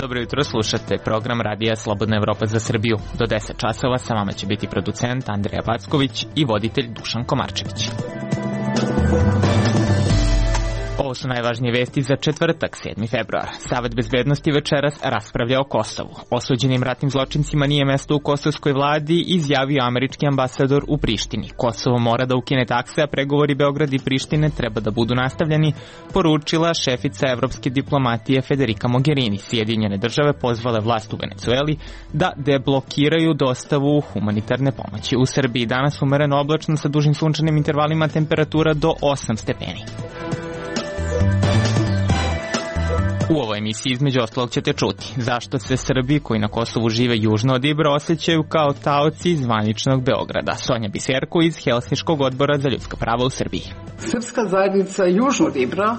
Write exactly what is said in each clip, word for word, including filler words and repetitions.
Dobro jutro, slušate program Radija Slobodna Evropa za Srbiju. Do deset časova sa vama će biti producent Andreja Backović i voditelj Dušan Komarčević. Ovo su najvažnije vesti za četvrtak, sedmi februar. Savet bezbednosti večeras raspravlja o Kosovu. Osuđenim ratnim zločincima nije mesto u kosovskoj vladi, izjavio američki ambasador u Prištini. Kosovo mora da ukine takse, a pregovori Beograd i Prištine treba da budu nastavljeni, poručila šefica evropske diplomatije Federica Mogherini. Sjedinjene države pozvale vlast u Venecueli da deblokiraju dostavu humanitarne pomoći. U Srbiji danas umereno oblačno sa dužim sunčanim intervalima, temperatura do osam stepeni. U ovoj emisiji između ostalog ćete čuti zašto se Srbi koji na Kosovu žive južno od Ibra osjećaju kao taoci zvaničnog Beograda. Sonja Biserko iz Helsinškog odbora za ljudska prava u Srbiji. Srpska zajednica južno od Ibra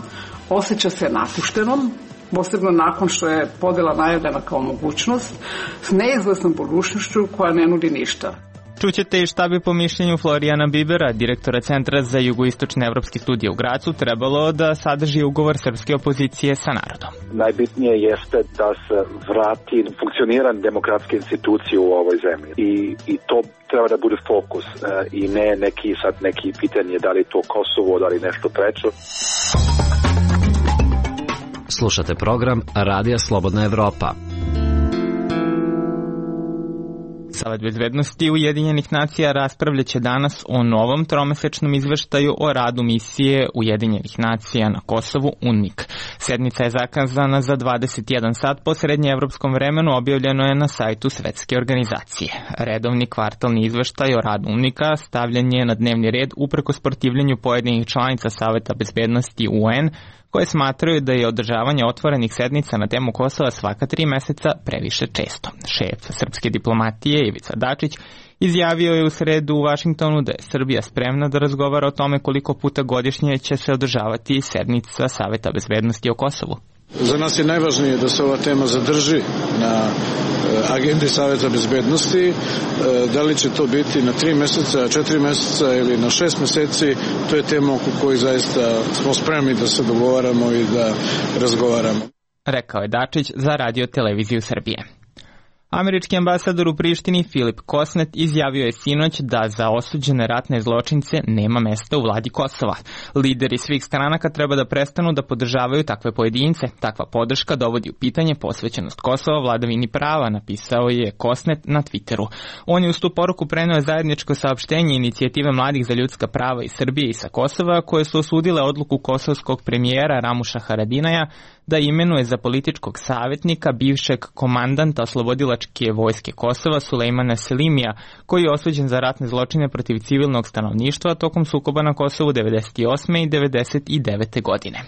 osjeća se napuštenom, posebno nakon što je podela najavljena kao mogućnost, s neizvesnom budućnošću koja ne nudi ništa. Čućete i šta bi po mišljenju Florijana Bibera, direktora Centra za jugoistočne evropske studije u Gracu, trebalo da sadrži ugovor srpske opozicije sa narodom. Najbitnije jeste da se vrati funkcioniranje demokratske institucije u ovoj zemlji i, i to treba da bude fokus e, i ne neki sad neki pitanje da li to Kosovo, da li nešto treće. Slušate program Radija Slobodna Evropa. Savet bezbednosti Ujedinjenih nacija raspravljaće danas o novom tromesečnom izveštaju o radu misije Ujedinjenih nacija na Kosovu UNMIK. Sednica je zakazana za dvadeset jedan sat po srednjeevropskom vremenu, objavljeno je na sajtu Svetske organizacije. Redovni kvartalni izveštaj o radu UNMIK-a stavljen je na dnevni red uprkos protivljenju pojedinih članica Saveta bezbednosti U N, koje smatraju da je održavanje otvorenih sednica na temu Kosova svaka tri meseca previše često. Šef srpske diplomatije Ivica Dačić izjavio je u sredu u Vašingtonu da je Srbija spremna da razgovara o tome koliko puta godišnje će se održavati sednica Saveta bezbednosti o Kosovu. Za nas je najvažnije da se ova tema zadrži na agendi Saveta bezbednosti. Da li će to biti na tri meseca, četiri meseca ili na šest meseci, to je tema oko koji zaista smo spremni da se dogovaramo i da razgovaramo. Rekao je Dačić za Radio televiziju Srbije. Američki ambasador u Prištini Filip Kosnet izjavio je sinoć da za osuđene ratne zločince nema mesta u vladi Kosova. Lideri svih stranaka treba da prestanu da podržavaju takve pojedince. Takva podrška dovodi u pitanje posvećenost Kosova vladavini prava, napisao je Kosnet na Twitteru. On je uz tu poruku preneo zajedničko saopštenje inicijative mladih za ljudska prava iz Srbije i sa Kosova, koje su osudile odluku kosovskog premijera Ramuša Haradinaja da imenuje za političkog savjetnika bivšeg komandanta oslobodilačke vojske Kosova Sulejmana Selimija, koji je osuđen za ratne zločine protiv civilnog stanovništva tokom sukoba na Kosovu devedeset osme i devedeset devete godine.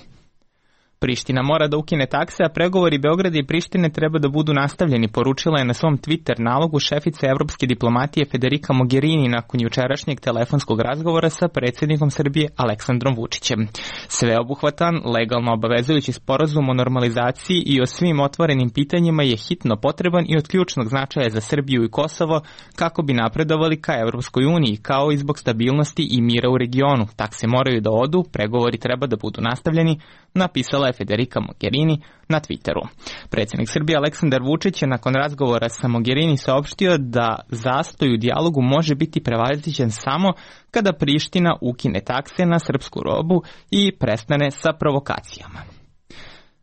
Priština mora da ukine takse, a pregovori Beograda i Prištine treba da budu nastavljeni, poručila je na svom Twitter nalogu šefica evropske diplomatije Federica Mogherini nakon jučerašnjeg telefonskog razgovora sa predsjednikom Srbije Aleksandrom Vučićem. Sveobuhvatan, legalno obavezujući sporazum o normalizaciji i o svim otvorenim pitanjima je hitno potreban i od ključnog značaja za Srbiju i Kosovo kako bi napredovali ka Evropskoj uniji, kao i zbog stabilnosti i mira u regionu. Takse moraju da odu, pregovori treba da budu nastavljeni, napisala je Federica Mogherini na Twitteru. Predsjednik Srbije Aleksandar Vučić je nakon razgovora sa Mogherini saopštio da zastoj u dijalogu može biti prevaziđen samo kada Priština ukine takse na srpsku robu i prestane sa provokacijama.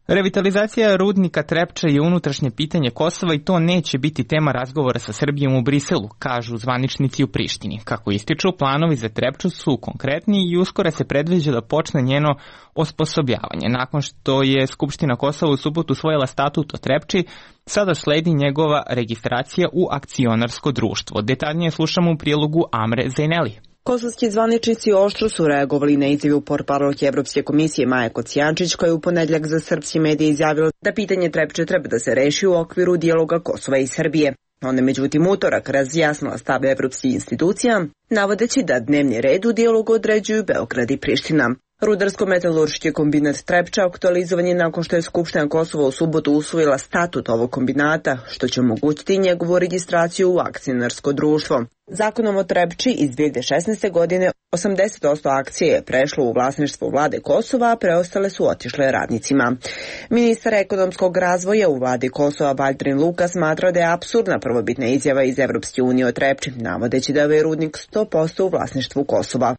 Revitalizacija rudnika Trepča je unutrašnje pitanje Kosova i to neće biti tema razgovora sa Srbijom u Briselu, kažu zvaničnici u Prištini. Kako ističu, planovi za Trepču su konkretni i uskoro se predviđa da počne njeno osposobljavanje. Nakon što je Skupština Kosova u subotu usvojila statut o Trepči, sada sledi njegova registracija u akcionarsko društvo. Detaljnije slušamo u prilogu Amre Zejneli. Kosovski zvaničnici oštro su reagovali na izjavu portparolke Evropske komisije Maje Kocijančić, koja je u ponedjeljak za srpski medije izjavila da pitanje Trepče treba da se reši u okviru dijaloga Kosova i Srbije. Ona međutim utorak razjasnila stav evropskih institucija, navodeći da dnevni red u dijalogu određuju Beograd i Priština. Rudarsko-metalurški kombinat Trepča aktualizovan je nakon što je Skupština Kosova u subotu usvojila statut ovog kombinata, što će omogućiti njegovu registraciju u akcionarsko društvo. Zakonom o Trepči iz dve hiljade šesnaeste. godine osamdeset posto akcije je prešlo u vlasništvo vlade Kosova, a preostale su otišle radnicima. Ministar ekonomskog razvoja u vladi Kosova Valdrin Luka smatra da je apsurdna prvobitna izjava iz Evropske unije o Trepči, navodeći da je rudnik sto posto u vlasništvu Kosova.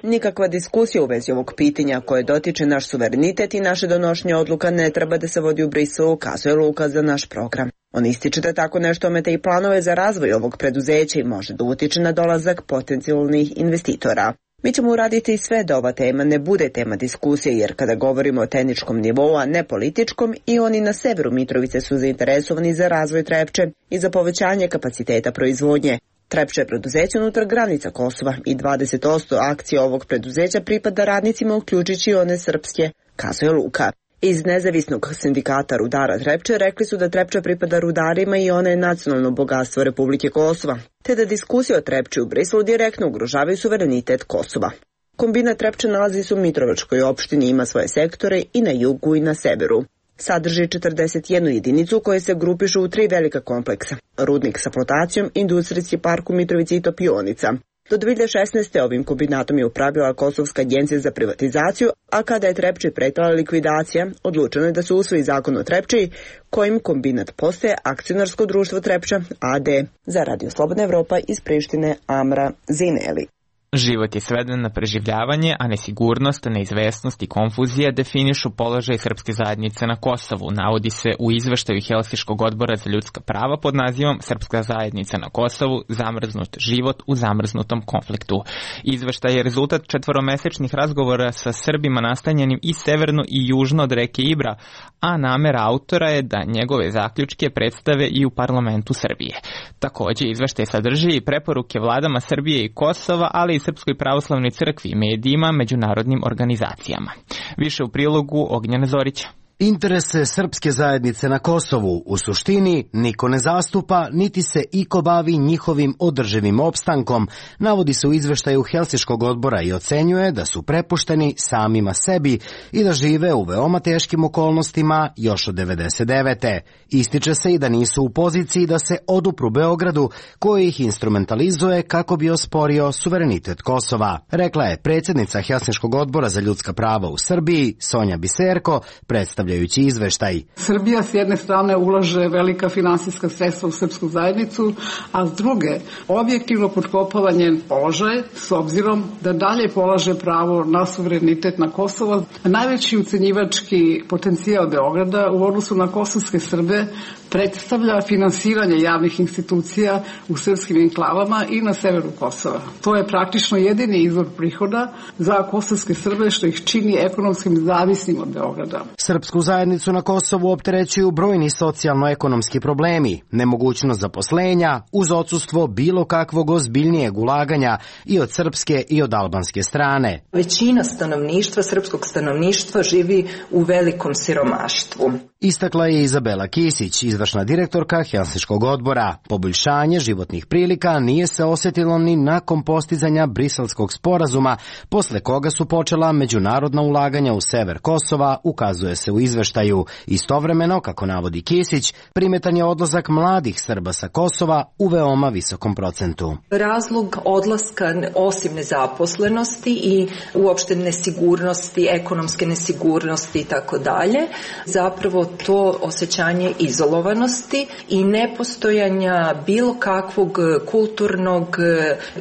Nikakva diskusija u vezi ovog pitanja koje dotiče naš suverenitet i naše donošenje odluka ne treba da se vodi u Briselu, kazuje Luka za naš program. On ističe da tako nešto ometa i planove za razvoj ovog preduzeća i može da utiče na dolazak potencijalnih investitora. Mi ćemo uraditi sve da ova tema ne bude tema diskusije, jer kada govorimo o tehničkom nivou, a ne političkom, i oni na severu Mitrovice su zainteresovani za razvoj Trepče i za povećanje kapaciteta proizvodnje. Trepča je preduzeće unutar granica Kosova i dvadeset posto akcija ovog preduzeća pripada radnicima, uključujući one srpske, kazuje Luka. Iz nezavisnog sindikata rudara Trepče rekli su da Trepča pripada rudarima i ona je nacionalno bogatstvo Republike Kosova, te da diskusije o Trepči u Briselu direktno ugrožavaju suverenitet Kosova. Kombinat Trepče nalazi se u Mitrovačkoj opštini, ima svoje sektore i na jugu i na severu. Sadrži četrdeset jednu jedinicu koje se grupišu u tri velika kompleksa: rudnik sa flotacijom, industrijski park u Mitrovici i topionica. Do dve hiljade šesnaeste. ovim kombinatom je upravljala Kosovska agencija za privatizaciju, a kada je Trepči pretala likvidacija, odlučeno je da se usvoji zakon o Trepči, kojim kombinat postaje akcionarsko društvo Trepča A D. Za Radio Slobodna Evropa iz Prištine, Amra Zineli. Život je sveden na preživljavanje, a nesigurnost, neizvesnost i konfuzija definišu položaj srpske zajednice na Kosovu, navodi se u izveštaju Helsinškog odbora za ljudska prava pod nazivom Srpska zajednica na Kosovu, zamrznut život u zamrznutom konfliktu. Izveštaj je rezultat četvoromesečnih razgovora sa Srbima nastanjenim i severno i južno od reke Ibra, a namera autora je da njegove zaključke predstave i u parlamentu Srbije. Takođe, izveštaj sadrži i preporuke vladama Srbije i Kosova, ali i Srpskoj pravoslavnoj crkvi, medijima, međunarodnim organizacijama. Više u prilogu Ognjena Zorića. Interese srpske zajednice na Kosovu u suštini niko ne zastupa, niti se iko bavi njihovim održivim opstankom, navodi se u izveštaju Helsinškog odbora i ocenjuje da su prepušteni samima sebi i da žive u veoma teškim okolnostima još od devedeset devete. Ističe se i da nisu u poziciji da se odupru Beogradu, koji ih instrumentalizuje kako bi osporio suverenitet Kosova, rekla je predsjednica Helsinškog odbora za ljudska prava u Srbiji, Sonja Biserko, predstavlja izveštaj. Srbija s jedne strane ulaže velika finansijska sredstva u srpsku zajednicu, a s druge objektivno potkopava njen položaj s obzirom da dalje polaže pravo na suverenitet na Kosovo. Najveći ucenjivački potencijal Beograda u odnosu na kosovske Srbe predstavlja finansiranje javnih institucija u srpskim enklavama i na severu Kosova. To je praktično jedini izvor prihoda za kosovske Srbe, što ih čini ekonomskim zavisnim od Beograda. Srpsku zajednicu na Kosovu opterećuju brojni socijalno-ekonomski problemi, nemogućnost zaposlenja uz odsustvo bilo kakvog ozbiljnijeg ulaganja i od srpske i od albanske strane. Većina stanovništva, srpskog stanovništva, živi u velikom siromaštvu. Istakla je Izabela Kisić, izvršna direktorka Helsinškog odbora. Poboljšanje životnih prilika nije se osjetilo ni nakon postizanja Briselskog sporazuma, posle koga su počela međunarodna ulaganja u sever Kosova, ukazuje se u izveštaju. Istovremeno, kako navodi Kisić, primetan je odlazak mladih Srba sa Kosova u veoma visokom procentu. Razlog odlaska, osim nezaposlenosti i uopšte nesigurnosti, ekonomske nesigurnosti i tako dalje, zapravo to osjećanje izolovanosti i nepostojanja bilo kakvog kulturnog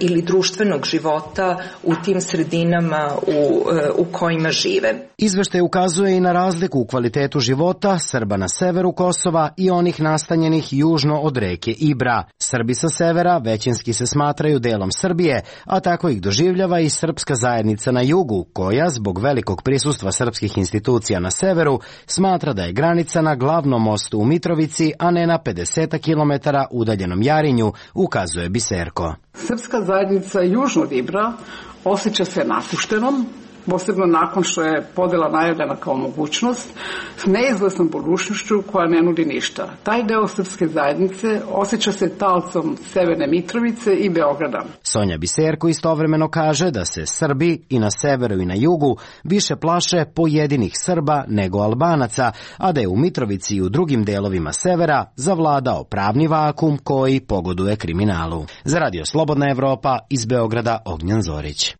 ili društvenog života u tim sredinama u, u kojima žive. Izveštaj ukazuje i na razliku u kvalitetu života Srba na severu Kosova i onih nastanjenih južno od reke Ibra. Srbi sa severa većinski se smatraju delom Srbije, a tako ih doživljava i srpska zajednica na jugu, koja zbog velikog prisustva srpskih institucija na severu smatra da je granica na glavnom mostu u Mitrovici, a ne na pedeset kilometara udaljenom Jarinju, ukazuje Biserko. Srpska zajednica južno od Ibra osjeća se napuštenom, posebno nakon što je podela najavljena kao mogućnost, s neizvesnom budućnošću koja ne nudi ništa. Taj deo srpske zajednice osjeća se talcom Severne Mitrovice i Beograda. Sonja Biserko istovremeno kaže da se Srbi i na severu i na jugu više plaše pojedinih Srba nego Albanaca, a da je u Mitrovici i u drugim delovima severa zavladao pravni vakum koji pogoduje kriminalu. Za Radio Slobodna Evropa iz Beograda Ognjan Zorić.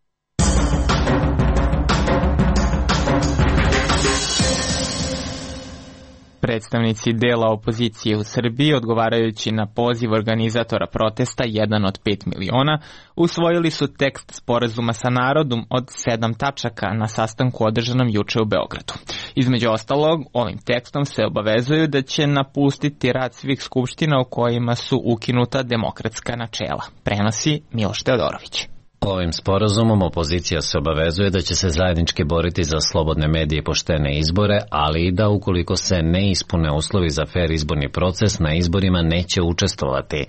Predstavnici dela opozicije u Srbiji, odgovarajući na poziv organizatora protesta jedan od pet miliona, usvojili su tekst sporazuma sa narodom od sedam tačaka na sastanku održanom juče u Beogradu. Između ostalog, ovim tekstom se obavezuju da će napustiti rad svih skupština u kojima su ukinuta demokratska načela. Prenosi Miloš Teodorović. Ovim sporazumom opozicija se obavezuje da će se zajednički boriti za slobodne medije i poštene izbore, ali i da ukoliko se ne ispune uslovi za fer izborni proces, na izborima neće učestvovati.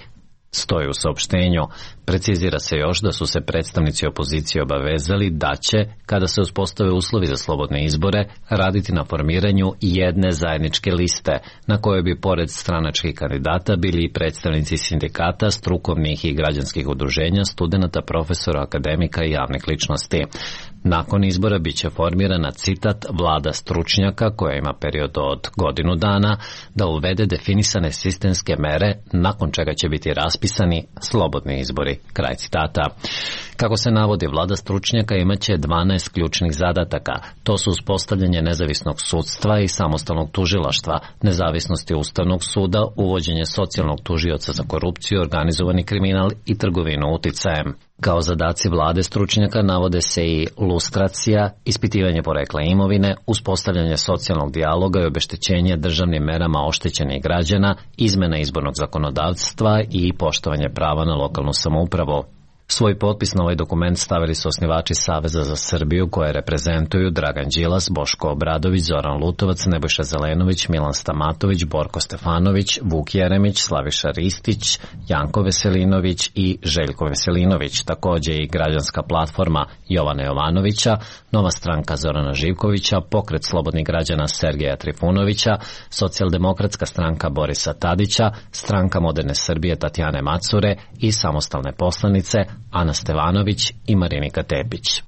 Stoji u saopštenju. Precizira se još da su se predstavnici opozicije obavezali da će, kada se uspostave uslovi za slobodne izbore, raditi na formiranju jedne zajedničke liste, na kojoj bi pored stranačkih kandidata bili i predstavnici sindikata, strukovnih i građanskih udruženja, studenata, profesora, akademika i javnih ličnosti. Nakon izbora biće formirana, citat, vlada stručnjaka koja ima period od godinu dana da uvede definisane sistemske mere, nakon čega će biti raspisani slobodni izbori. Kraj citata. Kako se navodi, vlada stručnjaka imaće dvanaest ključnih zadataka. To su uspostavljanje nezavisnog sudstva i samostalnog tužilaštva, nezavisnosti Ustavnog suda, uvođenje socijalnog tužioca za korupciju, organizovani kriminal i trgovinu uticajem. Kao zadaci vlade stručnjaka navode se i lustracija, ispitivanje porekla imovine, uspostavljanje socijalnog dijaloga i obeštećenje državnim merama oštećenih građana, izmena izbornog zakonodavstva i poštovanje prava na lokalnu samoupravu. Svoj potpis na ovaj dokument stavili su osnivači Saveza za Srbiju koje reprezentuju Dragan Đilas, Boško Obradović, Zoran Lutovac, Nebojša Zelenović, Milan Stamatović, Borko Stefanović, Vuk Jeremić, Slaviša Ristić, Janko Veselinović i Željko Veselinović, takođe i Građanska platforma Jovana Jovanovića, Nova stranka Zorana Živkovića, Pokret slobodnih građana Sergeja Trifunovića, Socijaldemokratska stranka Borisa Tadića, Stranka moderne Srbije Tatjane Macure i samostalne poslanice Ana Stevanović i Marinika Tepić.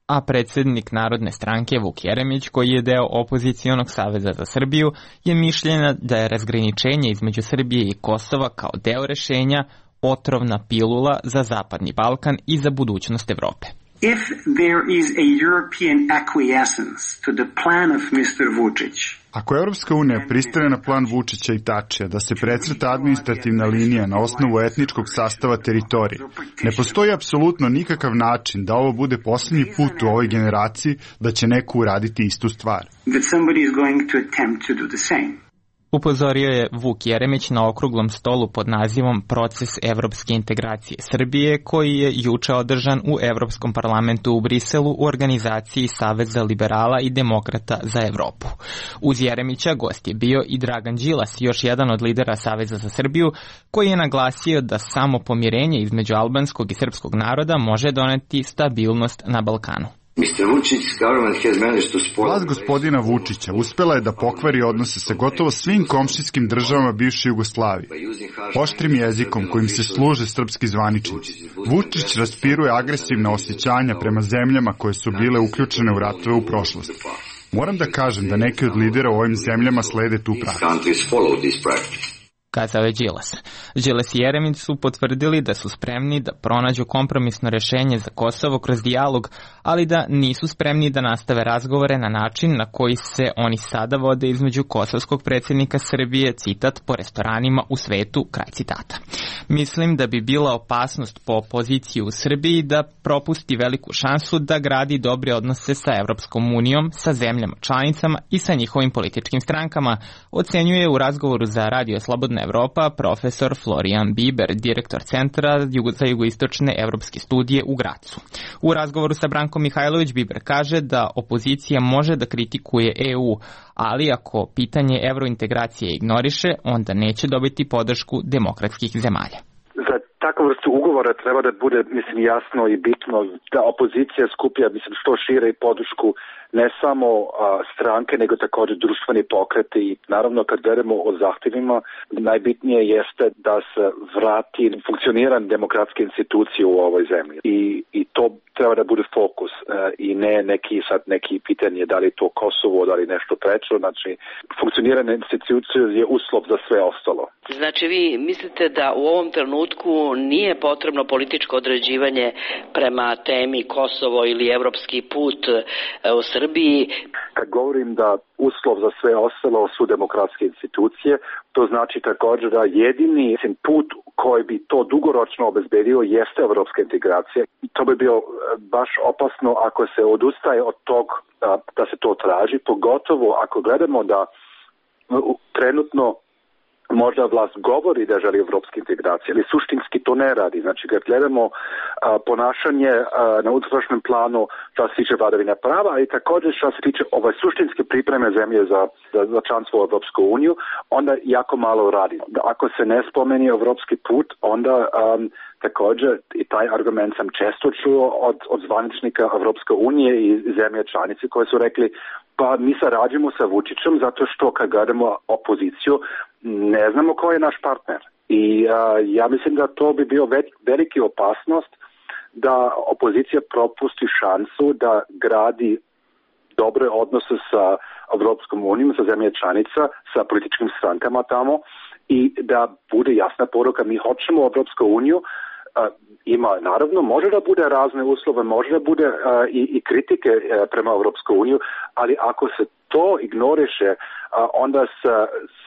A predsjednik Narodne stranke Vuk Jeremić, koji je deo opozicionog Saveza za Srbiju, je mišljenja da je razgraničenje između Srbije i Kosova kao deo rešenja otrovna pilula za Zapadni Balkan i za budućnost Evrope. If there is a European acquiescence to the plan of mister Vučić, ako Evropska unija pristane na plan Vučića i Tačija da se precrta administrativna linija na osnovu etničkog sastava teritorije, ne postoji apsolutno nikakav način da ovo bude posljednji put u ovoj generaciji da će neko uraditi istu stvar. That somebody is going to attempt to do the same. Upozorio je Vuk Jeremić na okruglom stolu pod nazivom Proces evropske integracije Srbije, koji je juče održan u Evropskom parlamentu u Briselu u organizaciji Saveza liberala i demokrata za Evropu. Uz Jeremića gost je bio i Dragan Đilas, još jedan od lidera Saveza za Srbiju, koji je naglasio da samo pomirenje između albanskog i srpskog naroda može doneti stabilnost na Balkanu. Vlast gospodina Vučića uspela je da pokvari odnose sa gotovo svim komšijskim državama bivše Jugoslavije, oštrim jezikom kojim se služe srpski zvaničnici. Vučić raspiruje agresivna osjećanja prema zemljama koje su bile uključene u ratove u prošlosti. Moram da kažem da neki od lidera u ovim zemljama slede tu praksu. Kazao je Đilas. Đilas i Jeremić su potvrdili da su spremni da pronađu kompromisno rešenje za Kosovo kroz dijalog, ali da nisu spremni da nastave razgovore na način na koji se oni sada vode između kosovskog predsjednika Srbije, citat, po restoranima u svetu, kraj citata. Mislim da bi bila opasnost po opoziciji u Srbiji da propusti veliku šansu da gradi dobre odnose sa Evropskom unijom, sa zemljama članicama i sa njihovim političkim strankama, ocenjuje u razgovoru za Radio Slobodna Evropa profesor Florian Biber, direktor Centra za jugoistočne evropske studije u Gracu. U razgovoru sa Brankom Mihajlović Biber kaže da opozicija može da kritikuje E U, ali ako pitanje evrointegracije ignoriše, onda neće dobiti podršku demokratskih zemalja. Za takvu vrstu ugovora treba da bude, mislim, jasno i bitno da opozicija skuplja, mislim, što šire podršku ne samo a, stranke, nego također društveni pokreti i naravno kad gledamo o zahtjevima, najbitnije jeste da se vrati funkcioniran demokratske institucije u ovoj zemlji i, i to treba da bude fokus a, i ne neki sad neki pitanje da li to Kosovo, da li nešto treće, znači funkcionirane institucije je uslov za sve ostalo. Znači vi mislite da u ovom trenutku nije potrebno političko određivanje prema temi Kosovo ili evropski put u Srbiji? Kad govorim da uslov za sve ostalo su demokratske institucije, to znači također da jedini put koji bi to dugoročno obezbedio jeste evropska integracija. To bi bilo baš opasno ako se odustaje od tog da, da se to traži, pogotovo ako gledamo da trenutno možda vlast govori da želi evropske integracije, ali suštinski to ne radi. Znači, kad gledamo a, ponašanje a, na unutrašnjem planu što se tiče vladavine prava, ali također što se tiče ove suštinske pripreme zemlje za, za, za članstvo u Evropsku uniju, onda jako malo radi. Ako se ne spomeni evropski put, onda um, također i taj argument sam često čuo od, od zvaničnika Evropske unije i zemlje članice koje su rekli pa mi sarađujemo sa Vučićem zato što kad gledamo opoziciju ne znamo ko je naš partner. I a, ja mislim da to bi bio ve, veliki opasnost da opozicija propusti šansu da gradi dobre odnose sa Evropskom unijom, sa zemlje članica, sa političkim strankama tamo i da bude jasna poruka mi hoćemo Evropsku uniju. Uh, ima, naravno, može da bude razne uslove, može da bude uh, i, i kritike uh, prema Evropsku uniju, ali ako se to ignoriše, uh, onda se,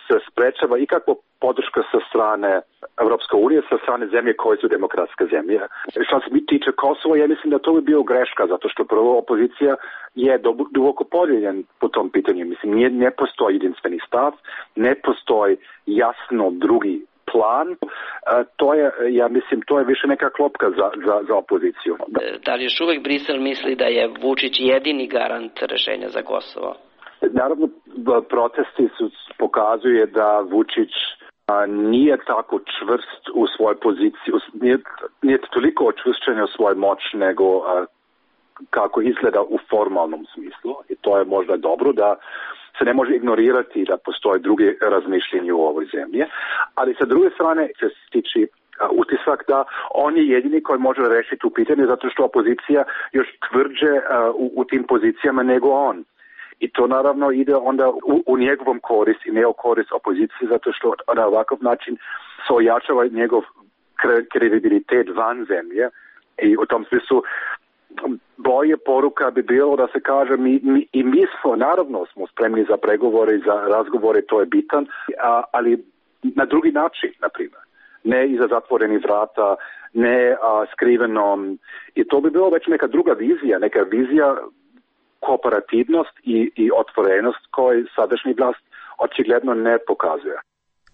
se sprečava ikakva podrška sa strane Evropske unije, sa strane zemlje koje su demokratske zemlje. Što se mi tiče Kosova, ja mislim da to bi bio greška, zato što prvo opozicija je duboko podijeljen po tom pitanju. Mislim, nije, ne postoji jedinstveni stav, ne postoji jasno drugi plan, to je, ja mislim, to je više neka klopka za, za, za opoziciju. Da li još uvek Brisel misli da je Vučić jedini garant rešenja za Kosovo? Naravno, protesti su pokazuje da Vučić a, nije tako čvrst u svojoj poziciji, nije, nije toliko očvršćen u svojoj moć nego a, kako izgleda u formalnom smislu i to je možda dobro da se ne može ignorirati da postoje druge razmišljenje u ovoj zemlji, ali sa druge strane se stiče utisak da on je jedini koji može rešiti tu pitanje zato što opozicija još tvrđe u, u tim pozicijama nego on. I to naravno ide onda u, u njegovom korist i ne u korist opozicije zato što na ovakav način se ojačava njegov kredibilitet van zemlje i u tom smislu bolje poruka bi bilo da se kaže mi, mi, i mi smo, naravno smo spremni za pregovore i za razgovore, to je bitan, a, ali na drugi način, na primjer. Ne iza zatvorenih vrata, ne a, skriveno. I to bi bilo već neka druga vizija, neka vizija kooperativnost i, i otvorenost koju sadašnji vlast očigledno ne pokazuje.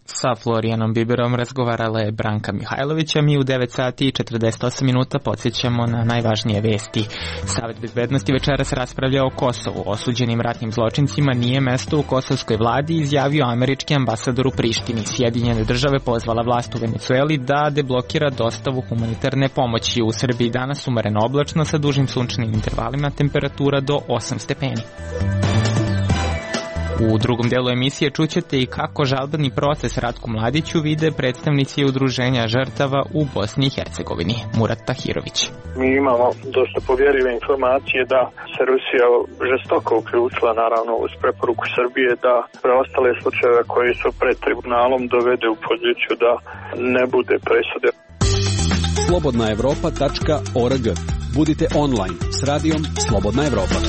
Sa Florijanom Biberom razgovarala je Branka Mihajlović, a mi u devet sati i četrdeset osam minuta podsjećamo na najvažnije vesti. Savet bezbednosti večeras raspravlja o Kosovu. Osuđenim ratnim zločincima nije mesto u kosovskoj vladi, izjavio američki ambasador u Prištini. Sjedinjene države pozvala vlast u Venecueli da deblokira dostavu humanitarne pomoći. U Srbiji danas umereno oblačno sa dužim sunčanim intervalima, temperatura do osam stepeni. U drugom delu emisije čućete i kako žalbeni proces Ratku Mladiću vide predstavnici udruženja žrtava u Bosni i Hercegovini. Murat Tahirović. Mi imamo dosta povjerljive informacije da se Rusija žestoko uključila naravno uz preporuku Srbije da preostale slučajeve koji su pred tribunalom dovede u poziciju da ne bude presude. slobodna evropa tačka org. Budite online s radijom Slobodna Evropa.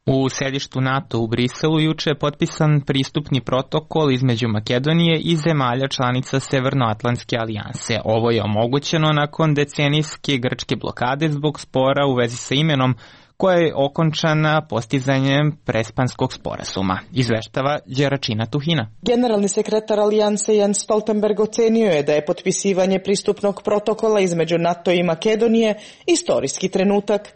U sedištu NATO u Briselu juče je potpisan pristupni protokol između Makedonije i zemalja članica Severnoatlantske alijanse. Ovo je omogućeno nakon decenijske grčke blokade zbog spora u vezi sa imenom koja je okončana postizanjem Prespanskog sporazuma. Izveštava Đeračina Tuhina. Generalni sekretar Alijanse Jens Stoltenberg ocenio je da je potpisivanje pristupnog protokola između NATO i Makedonije istorijski trenutak.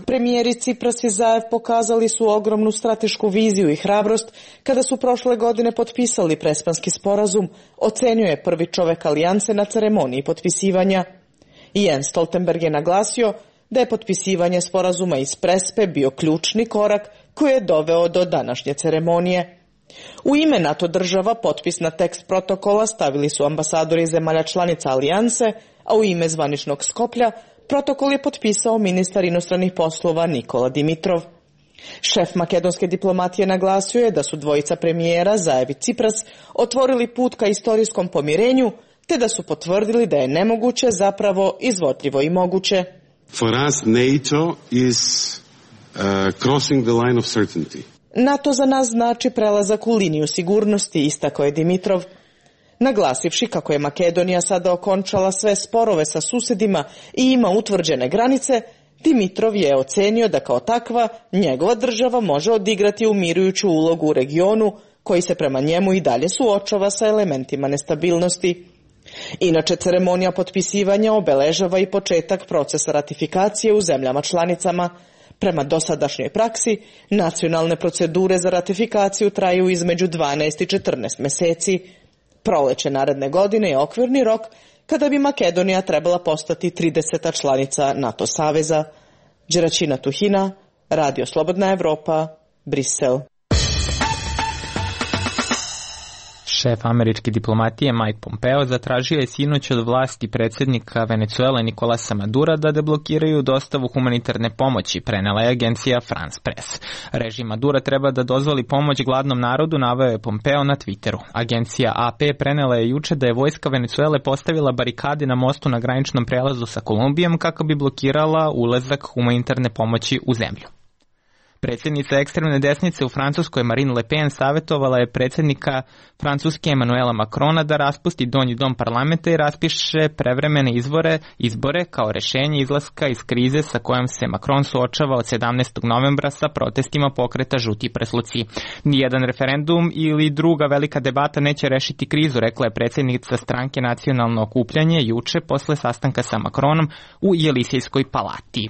Premijeri Cipras i Zaev pokazali su ogromnu stratešku viziju i hrabrost kada su prošle godine potpisali Prespanski sporazum, ocenio je prvi čovek Alijanse na ceremoniji potpisivanja. Jens Stoltenberg je naglasio da je potpisivanje sporazuma iz Prespe bio ključni korak koji je doveo do današnje ceremonije. U ime NATO država potpis na tekst protokola stavili su ambasadori zemalja članica Alijanse, a u ime zvaničnog Skoplja protokol je potpisao ministar inostranih poslova Nikola Dimitrov. Šef makedonske diplomatije naglasio je da su dvojica premijera Zaev i Cipras otvorili put ka istorijskom pomirenju, te da su potvrdili da je nemoguće zapravo izvodljivo i moguće. For us, NATO is uh, crossing the line of certainty. NATO za nas znači prelazak u liniju sigurnosti, istakao je Dimitrov. Naglasivši kako je Makedonija sada okončala sve sporove sa susedima i ima utvrđene granice, Dimitrov je ocenio da kao takva njegova država može odigrati umirujuću ulogu u regionu koji se prema njemu i dalje suočava sa elementima nestabilnosti. Inače, ceremonija potpisivanja obeležava i početak procesa ratifikacije u zemljama članicama. Prema dosadašnjoj praksi, nacionalne procedure za ratifikaciju traju između dvanaest i četrnaest meseci. Proleće naredne godine je okvirni rok kada bi Makedonija trebala postati trideseta članica NATO saveza. Đeračina Tuhina, Radio Slobodna Evropa, Brisel. Šef američke diplomatije Mike Pompeo zatražio je sinoć od vlasti predsjednika Venecuele Nicolasa Madura da deblokiraju dostavu humanitarne pomoći, prenela je agencija France Press. Režim Madura treba da dozvoli pomoć gladnom narodu, naveo je Pompeo na Twitteru. Agencija A P prenela je juče da je vojska Venecuele postavila barikade na mostu na graničnom prelazu sa Kolumbijom kako bi blokirala ulazak humanitarne pomoći u zemlju. Predsjednica ekstremne desnice u Francuskoj Marine Le Pen savjetovala je predsjednika Francuske Emmanuela Macrona da raspusti donji dom parlamenta i raspiše prevremene izbore, izbore kao rešenje izlaska iz krize sa kojom se Macron suočava od sedamnaestog novembra sa protestima pokreta Žuti prsluci. Nijedan referendum ili druga velika debata neće rešiti krizu, rekla je predsjednica stranke Nacionalno okupljanje juče posle sastanka sa Macronom u Jelisejskoj palati.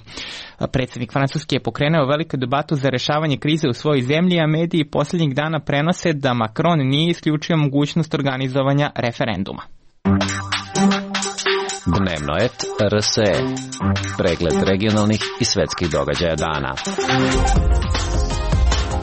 Predsjednik Francuske je pokrenuo veliku debatu za rešavanje krize u svojoj zemlji, a mediji posljednjih dana prenose da Macron nije isključio mogućnost organizovanja referenduma. Dnevno et R S E. Pregled regionalnih i svetskih događaja dana.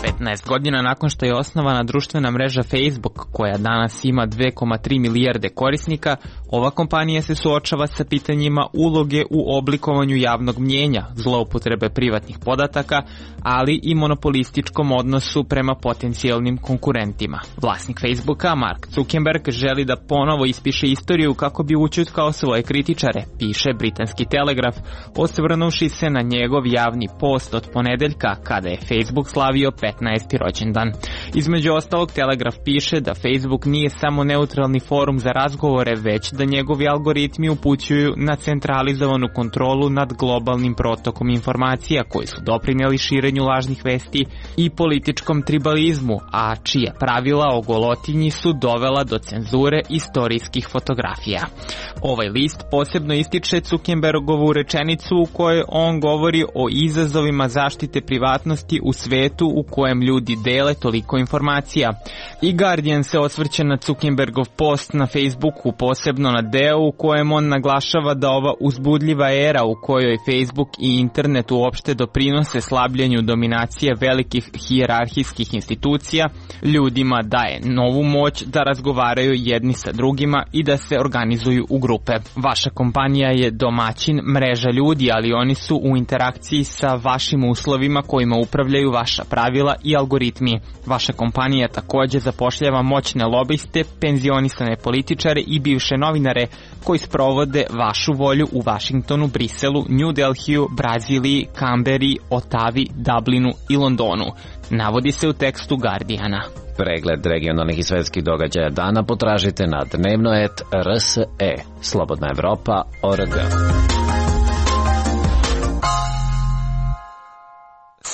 petnaest godina nakon što je osnovana društvena mreža Facebook, koja danas ima dve zarez tri milijarde korisnika, ova kompanija se suočava sa pitanjima uloge u oblikovanju javnog mnjenja, zloupotrebe privatnih podataka, ali i monopolističkom odnosu prema potencijalnim konkurentima. Vlasnik Facebooka, Mark Zuckerberg, želi da ponovo ispiše istoriju kako bi ućutkao svoje kritičare, piše britanski Telegraf, osvrnuši se na njegov javni post od ponedeljka, kada je Facebook slavio petnaesti rođendan. Između ostalog, Telegraf piše da Facebook nije samo neutralni forum za razgovore, već da njegovi algoritmi upućuju na centralizovanu kontrolu nad globalnim protokom informacija koji su doprinijeli širenju lažnih vesti i političkom tribalizmu, a čije pravila o golotinji su dovela do cenzure istorijskih fotografija. Ovaj list posebno ističe Zuckerbergovu rečenicu u kojoj on govori o izazovima zaštite privatnosti u svetu u kojem ljudi dele toliko informacija. I Guardian se osvrće na Zuckerbergov post na Facebooku, posebno na deo u kojem on naglašava da ova uzbudljiva era u kojoj Facebook i internet uopšte doprinose slabljenju dominacije velikih hijerarhijskih institucija ljudima daje novu moć da razgovaraju jedni sa drugima i da se organizuju u grupe. Vaša kompanija je domaćin mreža ljudi, ali oni su u interakciji sa vašim uslovima kojima upravljaju vaša pravila i algoritmi. Vaša kompanija također zapošljava moćne lobiste, penzionisane političare i bivše novinare koji sprovode vašu volju u Vašingtonu, Briselu, New Delhiju, Braziliji, Kamberi, Otavi, Dublinu i Londonu. Navodi se u tekstu Guardiana. Pregled regionalnih i svetskih događaja dana potražite na dnevno et R S E. Slobodna Evropa, O R G.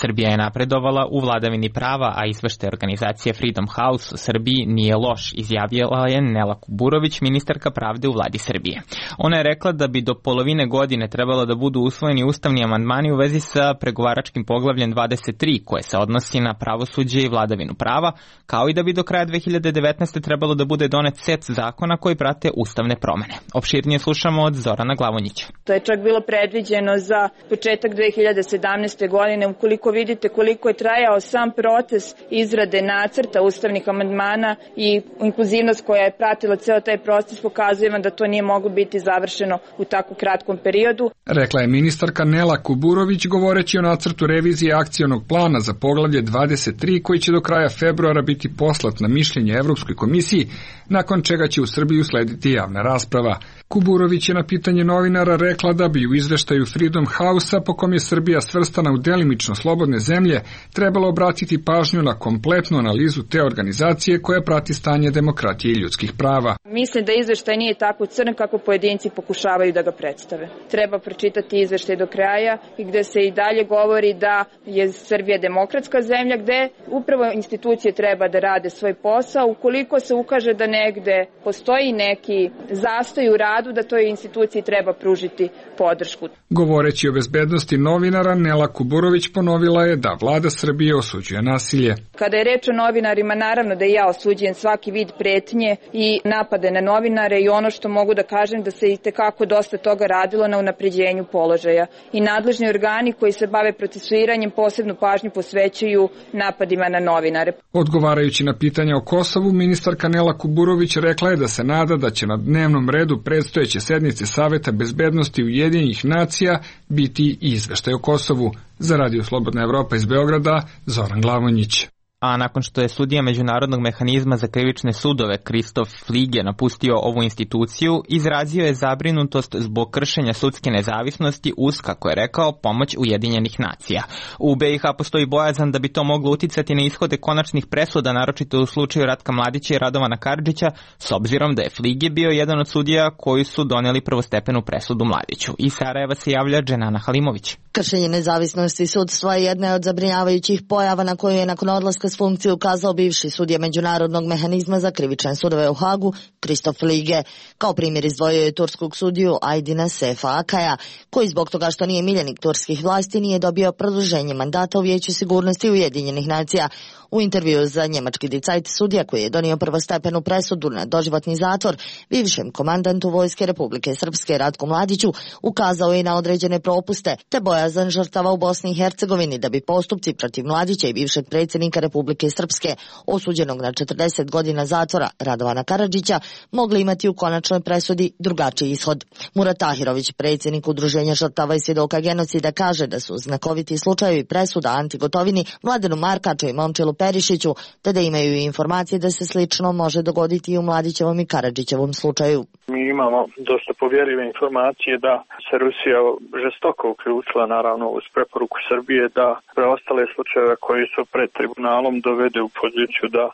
Srbija je napredovala u vladavini prava, a izveštaj organizacije Freedom House u Srbiji nije loš, izjavila je Nela Kuburović, ministarka pravde u vladi Srbije. Ona je rekla da bi do polovine godine trebalo da budu usvojeni ustavni amandmani u vezi sa pregovaračkim poglavljem dvadeset tri, koje se odnosi na pravosuđe i vladavinu prava, kao i da bi do kraja dve hiljade devetnaeste. trebalo da bude donet set zakona koji prate ustavne promene. Opširnije slušamo od Zorana Glavonjića. To je čak bilo predviđeno za početak dve hiljade sedamnaeste. godine. Ukoliko vidite koliko je trajao sam proces izrade nacrta ustavnih amandmana i inkluzivnost koja je pratila ceo taj proces, pokazuje vam da to nije moglo biti završeno u tako kratkom periodu. Rekla je ministarka Nela Kuburović govoreći o nacrtu revizije akcionog plana za poglavlje dvadeset tri koji će do kraja februara biti poslat na mišljenje Evropskoj komisiji, nakon čega će u Srbiji uslediti javna rasprava. Kuburović je na pitanje novinara rekla da bi u izveštaju Freedom House-a, po kom je Srbija svrstana u delimično slobodne zemlje, trebalo obratiti pažnju na kompletnu analizu te organizacije koja prati stanje demokratije i ljudskih prava. Mislim da izveštaj nije tako crn kako pojedinci pokušavaju da ga predstave. Treba pročitati izveštaj do kraja i gde se i dalje govori da je Srbija demokratska zemlja, gde upravo institucije treba da rade svoj posao. Ukoliko se ukaže da negde postoji neki zastoj u radu, da toj instituciji treba pružiti podršku. Govoreći o bezbednosti novinara, Nela Kuburović ponovila je da vlada Srbije osuđuje nasilje. Kada je reč o novinarima, naravno da i ja osuđujem svaki vid pretnje i napade na novinare i ono što mogu da kažem da se i tekako dosta toga radilo na unapređenju položaja. I nadležni organi koji se bave procesuiranjem posebnu pažnju posvećuju napadima na novinare. Odgovarajući na pitanja o Kosovu, ministarka Nela Kuburović rekla je da se nada da će na dnevnom redu predstojeće sednice Saveta bezbednosti Ujedinjenih nacija biti i izveštaj o Kosovu. Za Radio Slobodna Evropa iz Beograda, Zoran Glavonjić. A nakon što je sudija Međunarodnog mehanizma za krivične sudove Kristof Flige napustio ovu instituciju, izrazio je zabrinutost zbog kršenja sudske nezavisnosti uz, kako je rekao, pomoć Ujedinjenih nacija. U B i H postoji bojazan da bi to moglo uticati na ishode konačnih presuda, naročito u slučaju Ratka Mladića i Radovana Karadžića, s obzirom da je Flige bio jedan od sudija koji su doneli prvostepenu presudu Mladiću. Iz Sarajeva se javlja Dženana Halimović. Kršenje nezavisnosti sudstva je jedna od zabrinjavajućih pojava na koju je nakon odlaska s funkcije ukazao bivši sudija Međunarodnog mehanizma za krivične sudove u Hagu, Kristof Flige. Kao primjer izdvojio je turskog sudiju Aydina Sefa Akaja, koji zbog toga što nije miljenik turskih vlasti nije dobio produženje mandata u Vijeću sigurnosti Ujedinjenih nacija. U intervju za njemački Die Zeit sudija koji je donio prvostepenu presudu na doživotni zatvor bivšem komandantu Vojske Republike Srpske Ratku Mladiću ukazao je na određene propuste te bojazan žrtava u Bosni i Hercegovini da bi postupci protiv Mladića i bivšeg predsjednika Republike Srpske osuđenog na četrdeset godina zatvora Radovana Karadžića mogli imati u konačnoj presudi drugačiji ishod. Murat Tahirović, predsjednik Udruženja žrtava i svjedoka genocida, kaže da su znakoviti slučajevi presuda Anti Gotovini, Mladenu Markaču i Momčilu Perišiću, te da imaju i informacije da se slično može dogoditi i u Mladićevom i Karadžićevom slučaju. Mi imamo dosta povjerljive informacije da se Rusija žestoko uključila naravno uz preporuku Srbije da preostale slučajeve koji su pred tribunalom dovede u poziciju da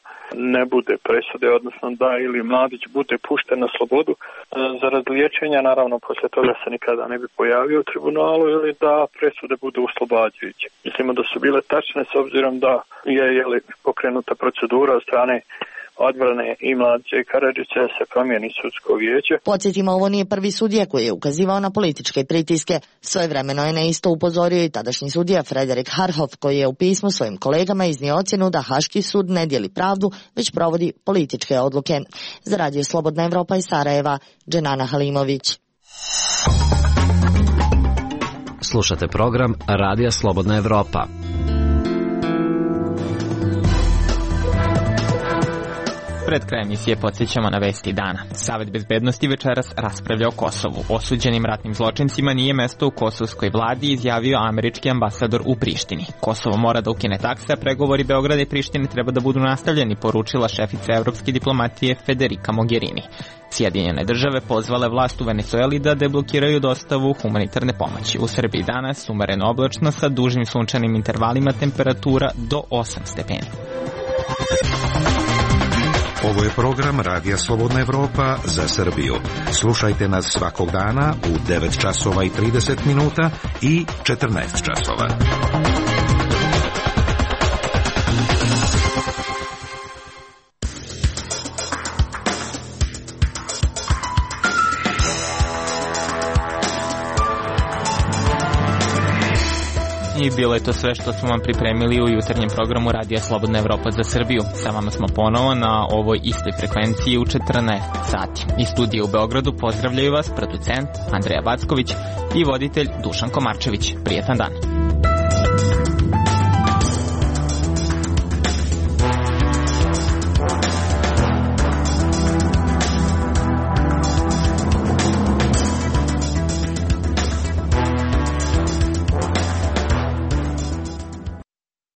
ne bude presude, odnosno da ili Mladić bude pušten na slobodu zarad liječenja, naravno posle toga se nikada ne bi pojavio u tribunalu, ili da presude budu oslobađajuće. Mislimo da su bile tačne s obzirom da je jeli, pokrenuta procedura od strane odbrane i Mladića i Karadžića se promijeni sudsko vijeće. Podsjetimo, ovo nije prvi sudija koji je ukazivao na političke pritiske. Svojevremeno je na isto upozorio i tadašnji sudija Frederik Harhoff, koji je u pismu svojim kolegama iznio ocjenu da Haški sud ne dijeli pravdu, već provodi političke odluke. Za Radio Slobodna Evropa iz Sarajeva, Dženana Halimović. Slušate program Radija Slobodna Evropa. Pred krajem emisije podsjećamo na vesti dana. Savet bezbednosti večeras raspravlja o Kosovu. Osuđenim ratnim zločincima nije mesto u kosovskoj vladi, izjavio američki ambasador u Prištini. Kosovo mora da ukine takse, a pregovori Beograda i Prištine treba da budu nastavljeni, poručila šefica evropske diplomatije Federica Mogherini. Sjedinjene države pozvale vlast u Venezueli da deblokiraju dostavu humanitarne pomoći. U Srbiji danas umereno oblačno sa dužim sunčanim intervalima, temperatura do osam stepeni. Ovo je program Radija Slobodna Evropa za Srbiju. Slušajte nas svakog dana u devet časova i trideset minuta i četrnaest časova. bilo je to sve što smo vam pripremili u jutarnjem programu Radija Slobodna Evropa za Srbiju. Sa vama smo ponovo na ovoj istoj frekvenciji u četrnaest sati. Iz studija u Beogradu pozdravljaju vas producent Andreja Backović i voditelj Dušan Komarčević. Prijetan dan.